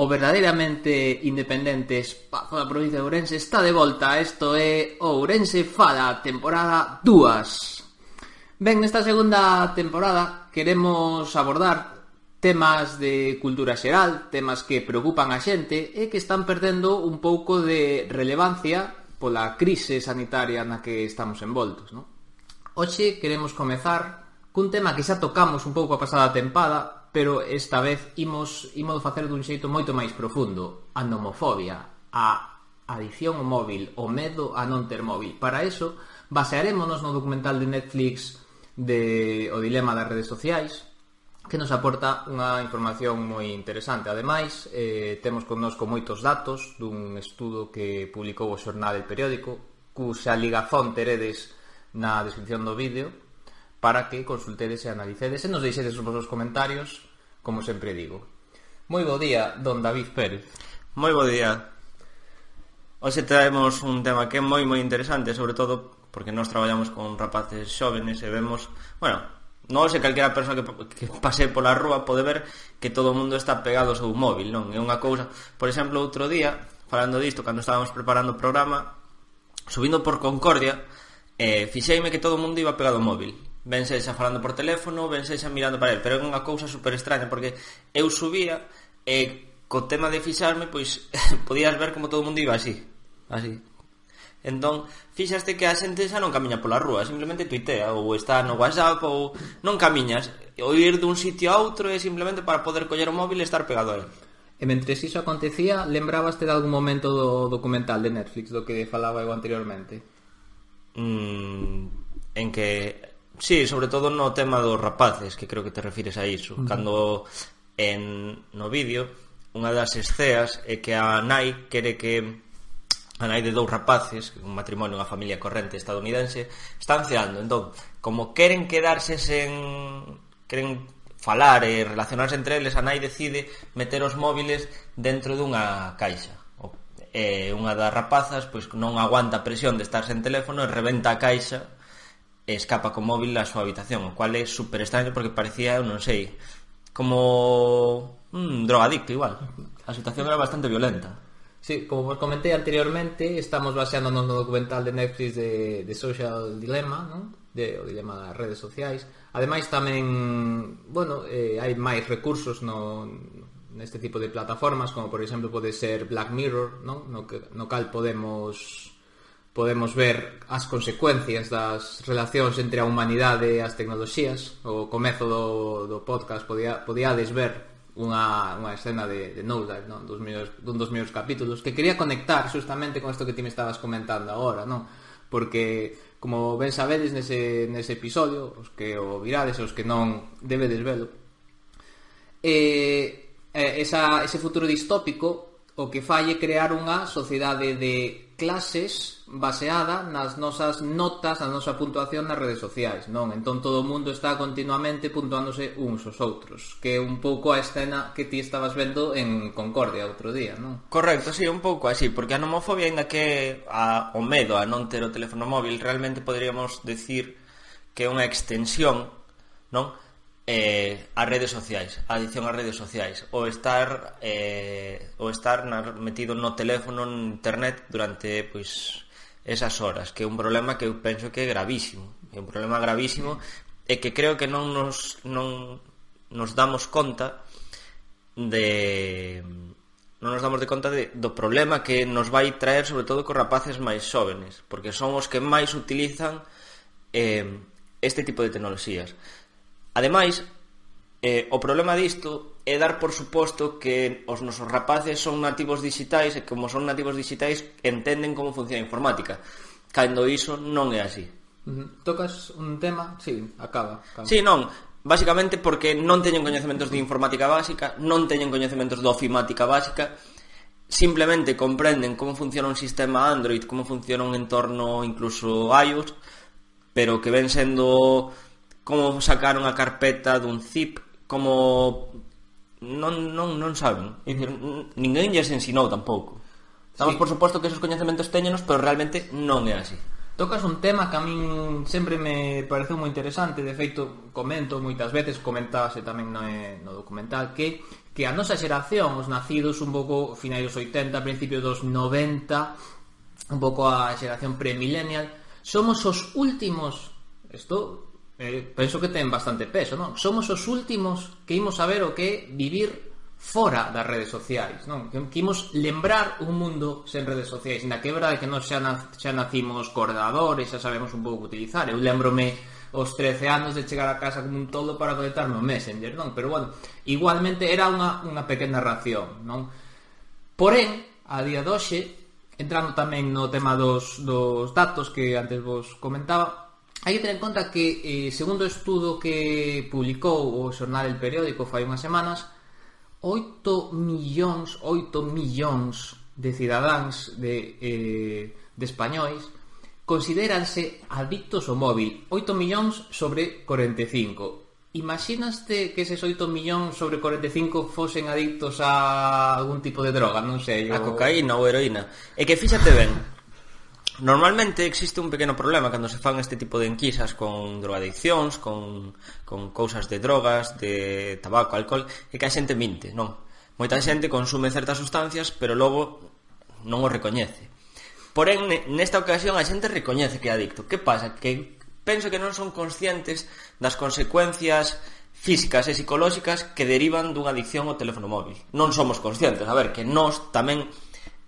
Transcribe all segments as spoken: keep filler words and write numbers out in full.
verdadeiramente independente espazo da provincia de Ourense está de volta. Isto é Ourense Fala, temporada dúas. Ben, nesta segunda temporada queremos abordar temas de cultura xeral, temas que preocupan a xente e que están perdendo un pouco de relevancia pola crise sanitaria na que estamos envoltos, non? Hoxe queremos comezar cun tema que xa tocamos un pouco a pasada tempada, pero esta vez imos, imos facer dun xeito moito máis profundo. A nomofobia, a adicción ao móvil, o medo a non ter móvil. Para eso, basearémonos no documental de Netflix de O dilema das redes sociais, que nos aporta unha información moi interesante. Ademais, eh, temos connosco moitos datos dun estudo que publicou o xornal El Periódico, cuxa ligazón teredes na descripción do vídeo, para que consultedes e analicedes e nos deixedes os vosos comentarios, como sempre digo. Moi bo día, don David Pérez. Moi bo día. Hoxe traemos un tema que é moi moi interesante, sobre todo porque nós traballamos con rapaces xóvenes e vemos, bueno, non sei, calquera persoa que, que pase pola rúa pode ver que todo o mundo está pegado ao seu móvil, non? É unha cousa, por exemplo, outro día, falando disto, cando estábamos preparando o programa, subindo por Concordia, eh, fixeime que todo o mundo iba pegado ao móvil. Ben sexa falando por teléfono, ben sexa mirando para el, pero é unha cousa super extraña, porque eu subía e co tema de fixarme, pois podías ver como todo o mundo iba así, así. Entón, fixaste que a xente xa non camiña pola rúa, simplemente tuitea, ou está no WhatsApp, ou non camiñas, ou ir dun sitio a outro é simplemente para poder coller o móvil e estar pegado a él. E mentres iso acontecía, lembrabaste de algún momento do documental de Netflix do que falaba eu anteriormente? Mm, en que... Sí, sobre todo no tema dos rapaces, que creo que te refires a iso. Uh-huh. Cando en no vídeo unha das esceas é que a nai quere que a nai de dous rapaces, un matrimonio, unha familia corrente estadounidense, están ceando. Entón, como queren quedarse sen... queren falar e relacionarse entre eles, a nai decide meter os móviles dentro dunha caixa. E unha das rapazas pois non aguanta a presión de estar sen teléfono e rebenta a caixa e escapa co móvil á súa habitación, o cual é super extraño porque parecía, eu non sei, como un drogadicto igual. A situación era bastante violenta. Sí, como vos comenté anteriormente, estamos baseándonos no documental de Netflix de, de Social Dilemma, ¿no? De, o dilema das redes sociais. Ademais tamén, bueno, eh, hai máis recursos no, neste tipo de plataformas, como por exemplo pode ser Black Mirror, ¿no? No, que, no cal podemos... podemos ver as consecuencias das relacións entre a humanidade e as tecnoloxías. O comezo do, do podcast podía, podíades ver unha, unha escena de, de Nosedive, non? Dos meus, dun dos meus capítulos, que quería conectar justamente con isto que ti me estabas comentando agora, non? Porque, como ben sabedes nese, nese episodio, os que o virades e os que non debedes velo, e, eh, esa, ese futuro distópico o que falle crear unha sociedade de clases baseada nas nosas notas, na nosa puntuación nas redes sociais, non? Entón todo o mundo está continuamente puntuándose uns aos outros, que é un pouco a escena que ti estabas vendo en Concordia outro día, non? Correcto, sí, un pouco así, porque a nomofobia, ainda que a, o medo a non ter o teléfono móvil, realmente poderíamos decir que é unha extensión, non? Eh, as redes sociais, a adicción ás redes sociais, o estar eh, o estar na, metido no teléfono, en internet durante pois esas horas, que é un problema que eu penso que é gravísimo, é un problema gravísimo e que creo que non nos non nos damos conta de non nos damos de conta de, do problema que nos vai traer sobre todo cos rapaces máis xóvenes, porque son os que máis utilizan eh, este tipo de tecnoloxías. Ademais, eh, o problema disto é dar por suposto que os nosos rapaces son nativos digitais e como son nativos digitais entenden como funciona a informática, cando iso non é así. Uh-huh. Tocas un tema? Sí, acaba, acaba. Sí, non, basicamente porque non teñen coñecementos de informática básica, non teñen coñecementos de ofimática básica, simplemente comprenden como funciona un sistema Android, como funciona un entorno incluso iOS, pero que ven sendo... como sacar unha carpeta dun zip, como non, non, non saben. É dicir, ninguén lles ensinou tampouco. Estamos sí. Por suposto que esos coñecementos teñenos, pero realmente non é así. Tocas un tema que a min sempre me pareceu moi interesante. De feito, comento moitas veces, comentábase tamén no, no documental, que que a nosa xeración, os nacidos un pouco finais dos oitenta, principios dos noventa, un pouco a xeración pre-millennial, somos os últimos, isto eh, penso que ten bastante peso, non? Somos os últimos que imos saber o que é vivir fora das redes sociais, non? Que, que imos lembrar un mundo sen redes sociais, na que é verdade que nós xa, na, xa nacimos co ordenador e xa sabemos un pouco utilizar. Eu lembrome os trece anos de chegar a casa como un todo para conectarme ao Messenger, non? Pero bueno, igualmente era unha, unha pequena ración, non? Porén, a día de hoxe, entrando tamén no tema dos, dos datos que antes vos comentaba, hai que ter en conta que, eh, segundo o estudo que publicou o xornal El Periódico fai unhas semanas, oito millóns, oito millóns de cidadáns de, eh, de españois considéranse adictos ao móvil. Oito millóns sobre corenta e cinco. Imaginaste que eses oito millóns sobre corenta e cinco fosen adictos a algún tipo de droga, non sei, a o... cocaína ou heroína. E que fíxate ben, normalmente existe un pequeno problema cando se fan este tipo de enquisas con drogadiccións, con, con cousas de drogas, de tabaco, alcohol, e que a xente minte, non? Moita xente consume certas sustancias, pero logo non o recoñece. Porén, nesta ocasión a xente recoñece que é adicto. Que pasa? Que penso que non son conscientes das consecuencias físicas e psicolóxicas que derivan dunha adicción ao teléfono móvil. Non somos conscientes. A ver, que nós tamén,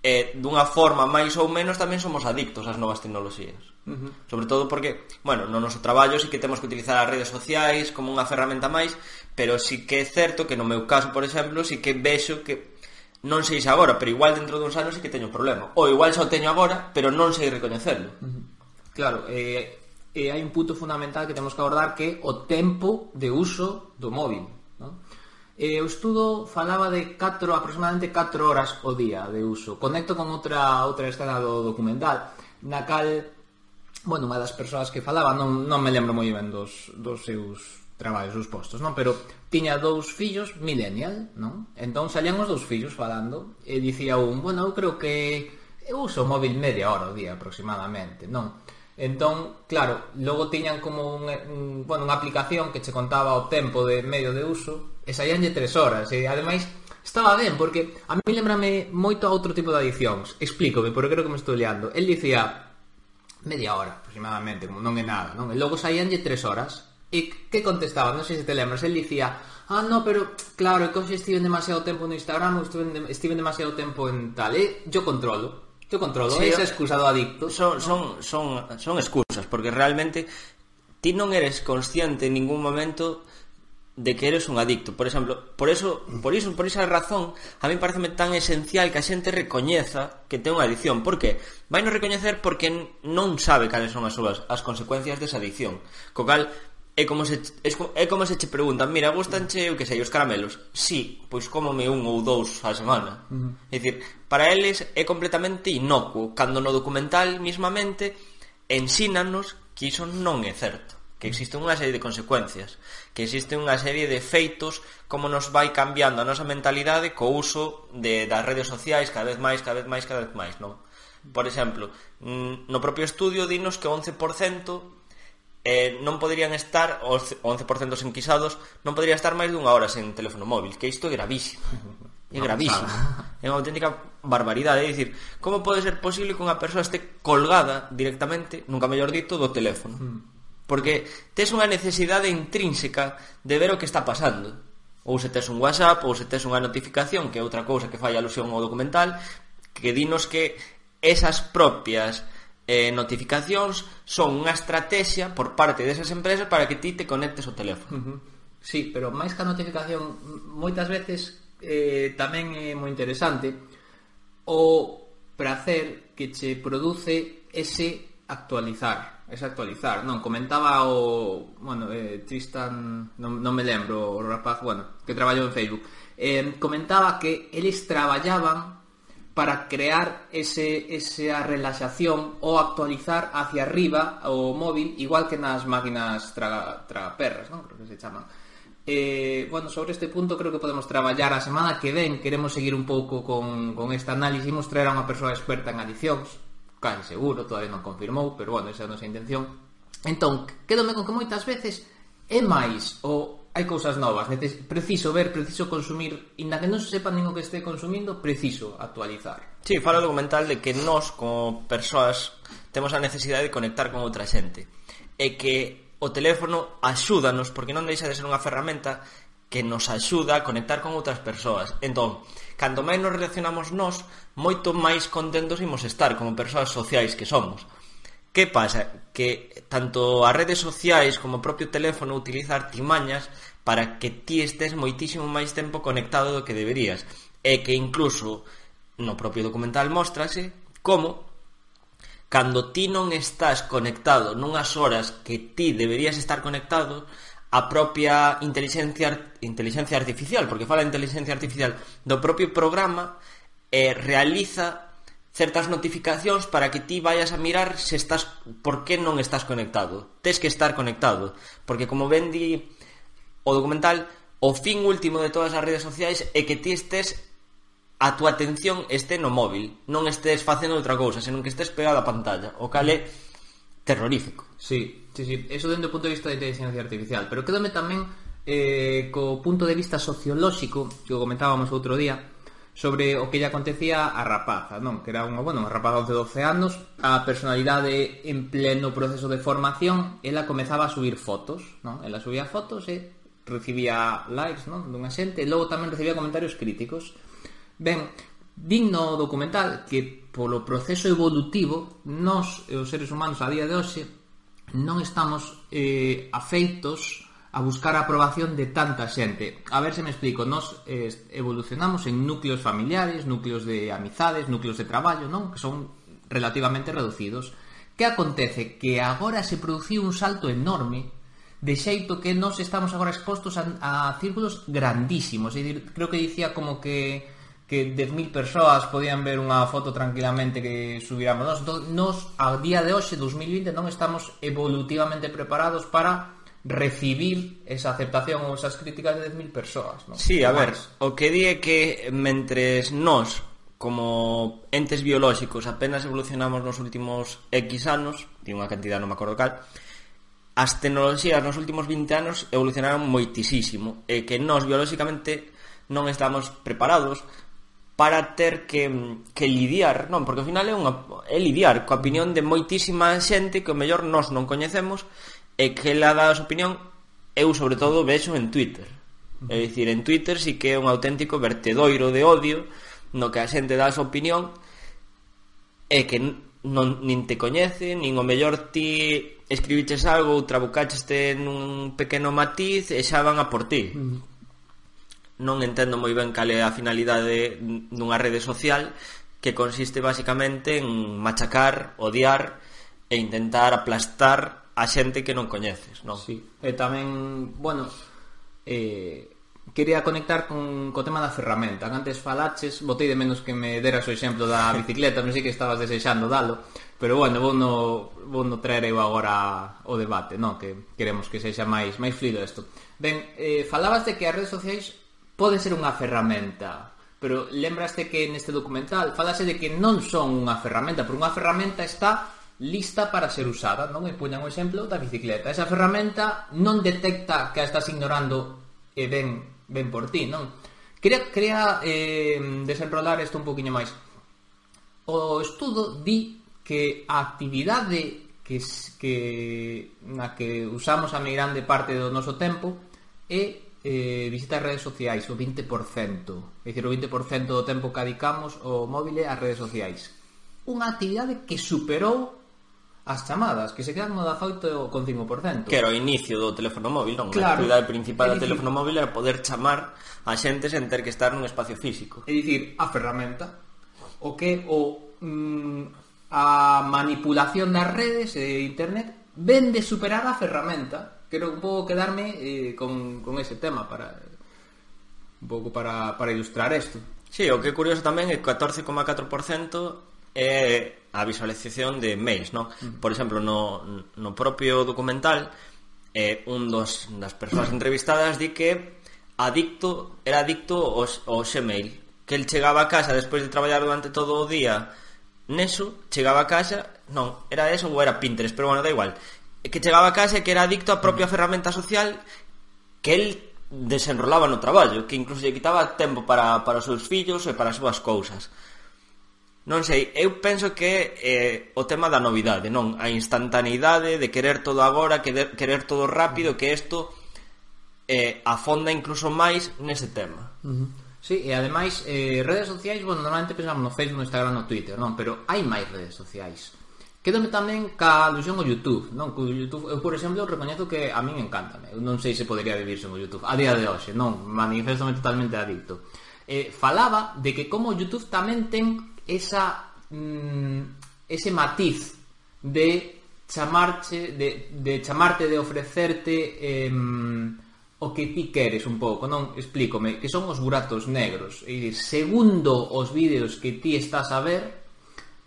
eh, dunha forma máis ou menos, tamén somos adictos ás novas tecnoloxías. Uh-huh. Sobre todo porque, bueno, no noso traballo sí que temos que utilizar as redes sociais como unha ferramenta máis, pero sí que é certo que no meu caso, por exemplo, sí que vexo que non sei se agora, pero igual dentro duns anos sí que teño un problema. Ou igual xa o teño agora, pero non sei recoñecerlo. Uh-huh. Claro, eh, eh, hai un punto fundamental que temos que abordar, que é o tempo de uso do móvil, non? Eh, o estudo falaba de catro, aproximadamente catro horas o día de uso. Conecto con outra outra escena do documental, na cal, bueno, unha das persoas que falaba, non, non me lembro moi ben dos, dos seus traballos, os postos, non? Pero tiña dous fillos millennial, non? Entón salían os dous fillos falando e dicía un, bueno, eu creo que eu uso o móvil media hora ao día aproximadamente, non? Entón, claro, logo tiñan como un, un, bueno, unha aplicación que che contaba o tempo de medio de uso e saíanlle tres horas e ademais estaba ben, porque a mí lembrame moito a outro tipo de adiccións. Explícome, porque creo que me estou liando. El dicía media hora aproximadamente, como non é nada, non? E logo saíanlle tres horas. E que contestaba? Non sei se te lembras. El dicía, ah, no, pero claro, é que hoxe estive demasiado tempo no Instagram, estive, estive demasiado tempo en tal. E yo controlo, yo controlo, sí, esa excusa do adicto. Son, son, son, son excusas, porque realmente ti non eres consciente en ningún momento de que eres un adicto. Por exemplo, por eso, por iso, por esa razón, a mí pareceme tan esencial que a xente recoñeza que ten unha adicción. Por que? Vai non recoñecer porque non sabe cales son as súas as consecuencias desa adicción. Co cal é como se é como se che preguntan, mira, gustanche, eu que sei, os caramelos? Sí, pois cómome un ou dous á semana. Uh-huh. É dicir, para eles é completamente inocuo, cando no documental mismamente ensínanos que iso non é certo, que existe unha serie de consecuencias, que existe unha serie de feitos, como nos vai cambiando a nosa mentalidade co uso de, das redes sociais cada vez máis, cada vez máis, cada vez máis, non? Por exemplo, no propio estudio dinos que o once por cento eh, non poderían estar, os once por cento enquisados non podría estar máis dunha hora sen teléfono móvil, que isto é gravísimo. É gravísimo. É unha auténtica barbaridade. É dicir, como pode ser posible que unha persoa este colgada directamente, nunca mellor dito, do teléfono? Porque tes unha necesidade intrínseca de ver o que está pasando. Ou se tes un WhatsApp, ou se tes unha notificación, que é outra cousa que fai alusión ao documental, que dinos que esas propias eh, notificacións son unha estrategia por parte desas empresas para que ti te conectes ao teléfono. Uh-huh. Sí, pero máis que a notificación, moitas veces eh, tamén é moi interesante o prazer que che produce ese actualizar, ese actualizar, non? Comentaba o, bueno, eh, Tristan, non, non me lembro, o rapaz, bueno, que traballou en Facebook, eh, comentaba que eles traballaban para crear ese, esa relaxación ou actualizar hacia arriba o móvil, igual que nas máquinas traga, tragaperras, non? Creo que se chaman. Eh, bueno, sobre este punto creo que podemos traballar a semana que ven. Queremos seguir un pouco con, con este análisis. Imos traer a unha persoa experta en adicións, casi seguro, todavía non confirmou, pero bueno, esa é a nosa intención. Entón, quédome con que moitas veces é máis o hai cousas novas, neces- preciso ver, preciso consumir, inda que non se sepa nin o que este consumindo, preciso actualizar. Sí, fala o documental de que nós, como persoas, temos a necesidade de conectar con outra xente. E que o teléfono axúdanos, porque non deixa de ser unha ferramenta que nos axuda a conectar con outras persoas. Entón, cando máis nos relacionamos nós, moito máis contentos imos estar como persoas sociais que somos. Que pasa? Que tanto as redes sociais como o propio teléfono utiliza artimañas para que ti estés moitísimo máis tempo conectado do que deberías. E que incluso no propio documental móstrase como cando ti non estás conectado nunhas horas que ti deberías estar conectado, a propia inteligencia, inteligencia artificial, porque fala de inteligencia artificial do propio programa, eh, realiza certas notificacións para que ti vayas a mirar se estás, por que non estás conectado. Tes que estar conectado, porque como ben di o documental, o fin último de todas as redes sociais é que ti estés, a tua atención este no móvil, non estés facendo outra cousa, senón que estés pegado á pantalla, o cal é terrorífico. Sí, sí, sí, eso dentro do punto de vista da inteligencia artificial, pero quédame tamén eh, co punto de vista sociolóxico que o comentábamos outro día sobre o que lle acontecía a rapaza, non? Que era unha, bueno, unha rapaza de doce anos, a personalidade en pleno proceso de formación, ela comezaba a subir fotos, non? Ela subía fotos e recibía likes, non? Dunha xente, e logo tamén recibía comentarios críticos. Ben, din no documental que polo proceso evolutivo nós, os seres humanos a día de hoxe, non estamos eh, afeitos a buscar a aprobación de tanta xente. A ver se me explico. Nós eh, evolucionamos en núcleos familiares, núcleos de amizades, núcleos de traballo, non? Que son relativamente reducidos. Que acontece? Que agora se produciu un salto enorme, de xeito que nós estamos agora expostos a, a círculos grandísimos. É dicir, creo que dicía como que que dez mil persoas podían ver unha foto tranquilamente que subiramos nós. Entón, nós, a día de hoxe, dos mil vinte, non estamos evolutivamente preparados para recibir esa aceptación ou esas críticas de dez mil persoas, non? Sí, a ver, o que di é que mentres nós, como entes biolóxicos, apenas evolucionamos nos últimos X anos, di unha cantidad, non me acordo cal, as tecnoloxías nos últimos vinte anos evolucionaron moitisísimo, e que nós biolóxicamente non estamos preparados para ter que, que lidiar, non, porque ao final é, unha, é lidiar coa opinión de moitísima xente que o mellor nós non coñecemos e que ela dá a súa opinión. Eu sobre todo vexo en Twitter, é dicir, en Twitter sí que é un auténtico vertedoiro de odio no que a xente dá a súa opinión e que non, nin te coñece, nin o mellor ti escribiches algo ou trabucacheste nun pequeno matiz e xa van a por ti. Uh-huh. Non entendo moi ben cal é a finalidade dunha rede social que consiste basicamente en machacar, odiar e intentar aplastar a xente que non coñeces, non? Sí, e tamén, bueno, eh, quería conectar con co tema da ferramenta. Antes falaches, botei de menos que me deras o exemplo da bicicleta, non sei que estabas desexando dalo, pero bueno, vou no, vou no traer eu agora o debate, non? Que queremos que sexa máis máis fluido isto. Ben, eh, falabas de que as redes sociais pode ser unha ferramenta, pero lembraste que neste documental falase de que non son unha ferramenta, porque unha ferramenta está lista para ser usada, non? E puñan o exemplo da bicicleta. Esa ferramenta non detecta que a estás ignorando e ven, ven por ti, non? Quería, quería eh, desenrolar isto un poquinho máis. O estudo di que a actividade que, que na que usamos a meirande parte do noso tempo é Eh, visitar redes sociais, o vinte por cento. É dicir, o vinte por cento do tempo que dedicamos ao móvil ás redes sociais. Unha actividade que superou as chamadas, que se quedan no dezaoito coma cinco por cento. Que era o inicio do teléfono móvil, non? Claro. A actividade principal do teléfono móvil era poder chamar a xente sen ter que estar nun espacio físico. É dicir, a ferramenta, o que o mm, a manipulación das redes e internet ven de superar a ferramenta. Quero un pouco quedarme eh, con, con ese tema para un pouco para, para ilustrar isto. Sí, o que é curioso tamén é que catorce coma catro por cento é a visualización de mails, non? Mm. Por exemplo, no, no propio documental eh, un dos das persoas entrevistadas di que adicto era adicto ao, ao Gmail, que el chegaba a casa despois de traballar durante todo o día neso, chegaba a casa, non, era eso ou era Pinterest, pero bueno, da igual, que chegaba a casa e que era adicto á propia ferramenta social que el desenrolaba no traballo, que incluso lle quitaba tempo para, para os seus fillos e para as súas cousas. Non sei, eu penso que eh, o tema da novidade, non? A instantaneidade de querer todo agora, querer, querer todo rápido, que isto eh, afonda incluso máis nese tema. Uh-huh. Sí, e ademais eh, redes sociais, bueno, normalmente pensamos no Facebook, no Instagram, no Twitter, non? Pero hai máis redes sociais. Quédome tamén ca alusión ao YouTube, non? Co YouTube, eu, por exemplo, recoñezo que a min encántame. Eu non sei se podría vivir sen o YouTube a día de hoxe, non? Manifestome totalmente adicto. Eh, falaba de que como o YouTube tamén ten esa mm, ese matiz de chamarche de, de chamarte, de ofrecerte eh, o que ti queres un pouco, non? Explícome, que son os buratos negros. E dicir, segundo os vídeos que ti estás a ver,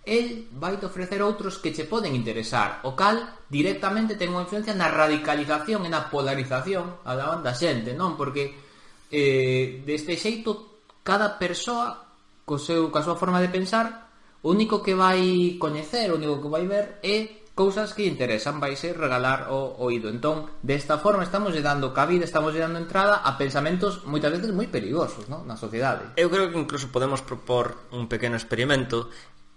el vai te ofrecer outros que che poden interesar, o cal directamente ten unha influencia na radicalización e na polarización a da da xente, non? Porque eh, deste xeito cada persoa co seu, ca súa forma de pensar, o único que vai coñecer, o único que vai ver é cousas que interesan, vai ser regalar o oído. Entón, desta forma estamos lle dando cabida, estamos lle dando entrada a pensamentos moitas veces moi perigosos, non? Na sociedade. Eu creo que incluso podemos propor un pequeno experimento,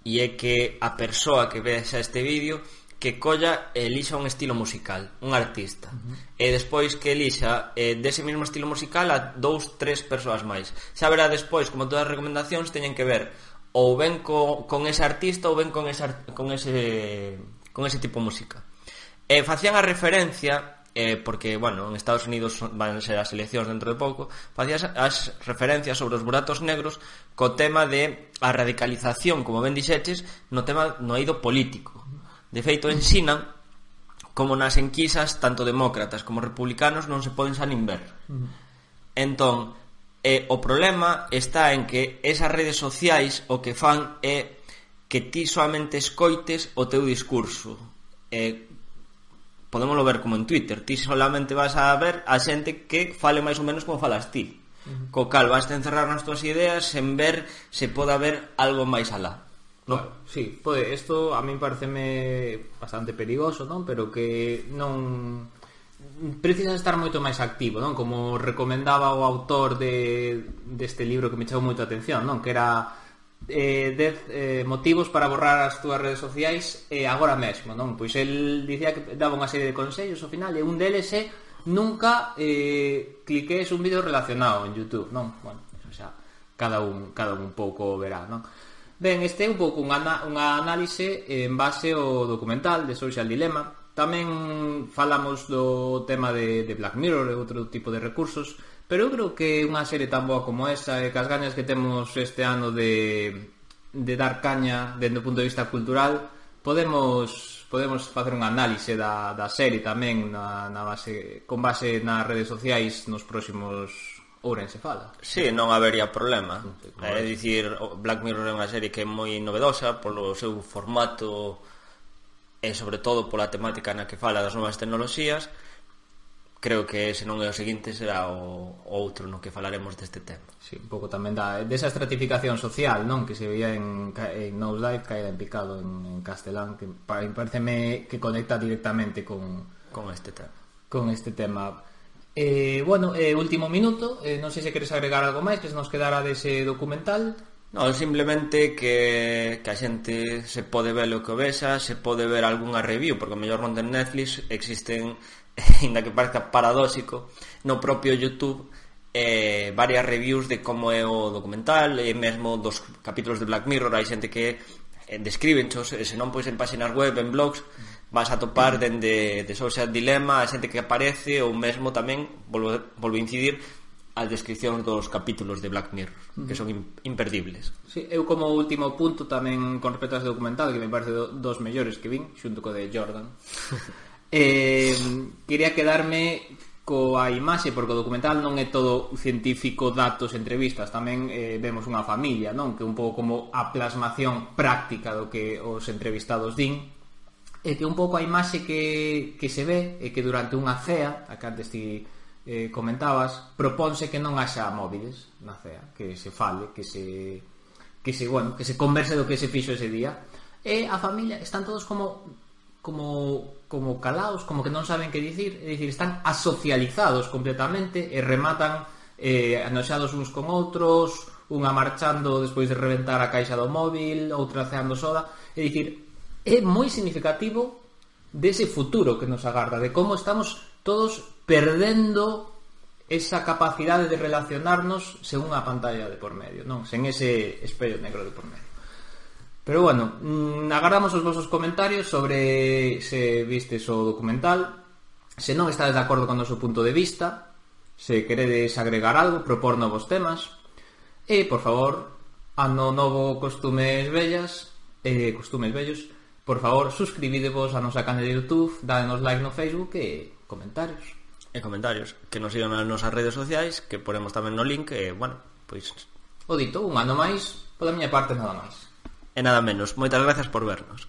e é que a persoa que vexa este vídeo que colla e elixa un estilo musical, un artista, uh-huh. e despois que elixa eh, dese mesmo estilo musical a dous, tres persoas máis. Xa verá despois, como todas as recomendacións teñen que ver ou ben co, con ese artista ou ben con ese, con ese, con ese tipo de música. E facían a referencia, eh, porque, bueno, en Estados Unidos van ser as eleccións dentro de pouco, facían as referencias sobre os buratos negros co tema de a radicalización, como ben dixeches, no tema no eido político. De feito, ensinan como nas enquisas tanto demócratas como republicanos non se poden xa nin ver. Uh-huh. Entón, eh, o problema está en que esas redes sociais o que fan é que ti solamente escoites o teu discurso. Eh, podémoslo ver como en Twitter, ti solamente vas a ver a xente que fale máis ou menos como falas ti. Uh-huh. Co cal vas a encerrar nas túas ideas sen ver se pode haber algo máis alá. No. Claro, sí, pode, isto a min pareceme bastante perigoso, non? Pero que non precisa estar moito máis activo, non? Como recomendaba o autor de deste libro que me chamou moito a atención, non? Que era eh, dez eh, motivos para borrar as túas redes sociais eh, agora mesmo, non? Pois el dicía que daba unha serie de consellos ao final, e un deles é nunca eh, cliques un vídeo relacionado en YouTube, non? Bueno, o sea, cada un, cada un pouco verá, non? Ben, este é un pouco unha, unha análise en base ao documental de Social Dilemma. Tamén falamos do tema de, de Black Mirror e outro tipo de recursos, pero eu creo que unha serie tan boa como esa e que as gañas que temos este ano de, de dar caña dende o punto de vista cultural, podemos podemos facer unha análise da, da serie tamén na, na base, con base nas redes sociais nos próximos Ourense Fala. Sí, non habería problema. É dicir, Black Mirror é unha serie que é moi novedosa polo seu formato e sobre todo pola temática na que fala das novas tecnoloxías. Creo que se non é o seguinte será o outro no que falaremos deste tema. Sí, un pouco tamén da desa estratificación social, non? Que se veía en, en Nosedive, caída en picado en, en castelán, que pareceme que conecta directamente con con este tema. Con este tema. Eh, bueno, eh, último minuto, eh, non sei se queres agregar algo máis que se nos quedara dese documental. Non, simplemente que, que a xente se pode ver o que vexa, se pode ver algunha review, porque o mellor non ten Netflix, existen, ainda que parezca paradóxico, no propio YouTube eh, varias reviews de como é o documental, e mesmo dos capítulos de Black Mirror hai xente que eh, describenchos, e se non pois en páxinas web, en blogs, vas a topar dende de Social Dilemma a xente que aparece, ou mesmo tamén volvo, volvo a incidir as descripcións dos capítulos de Black Mirror, que son imperdibles. Sí, eu como último punto tamén con respecto a este documental, que me parece do, dos mellores que vin, xunto co de Jordan, eh, quería quedarme coa imaxe, porque o documental non é todo científico, datos, entrevistas, tamén eh, vemos unha familia, non? Que é un pouco como a plasmación práctica do que os entrevistados din, e que un pouco a imaxe que, que se ve é que durante unha cea, a que antes ti eh, comentabas, propónse que non haxa móviles na cea, que se fale, que se que se, bueno, que se converse do que se fixo ese día, e a familia están todos como como como calaos, como que non saben que dicir, é dicir, están asocializados completamente e rematan eh, anoxados uns con outros, unha marchando despois de reventar a caixa do móvil, outra ceando soda, é dicir, é moi significativo dese futuro que nos agarda, de como estamos todos perdendo esa capacidade de relacionarnos sen unha pantalla de por medio, non, sen ese espello negro de por medio. Pero bueno, mmm, agardamos os vosos comentarios sobre se vistes o documental, se non estades de acordo con o noso punto de vista, se queredes agregar algo, propor novos temas, e, por favor, ano novo costumes vellas, eh, costumes vellos, por favor, suscribidevos a nosa canal de YouTube, dadenos like no Facebook e comentarios. E comentarios, que nos sigan nas nosas redes sociais, que ponemos tamén no link, e, bueno, pois... O dito, un ano máis, pola miña parte nada máis. E nada menos, moitas gracias por vernos.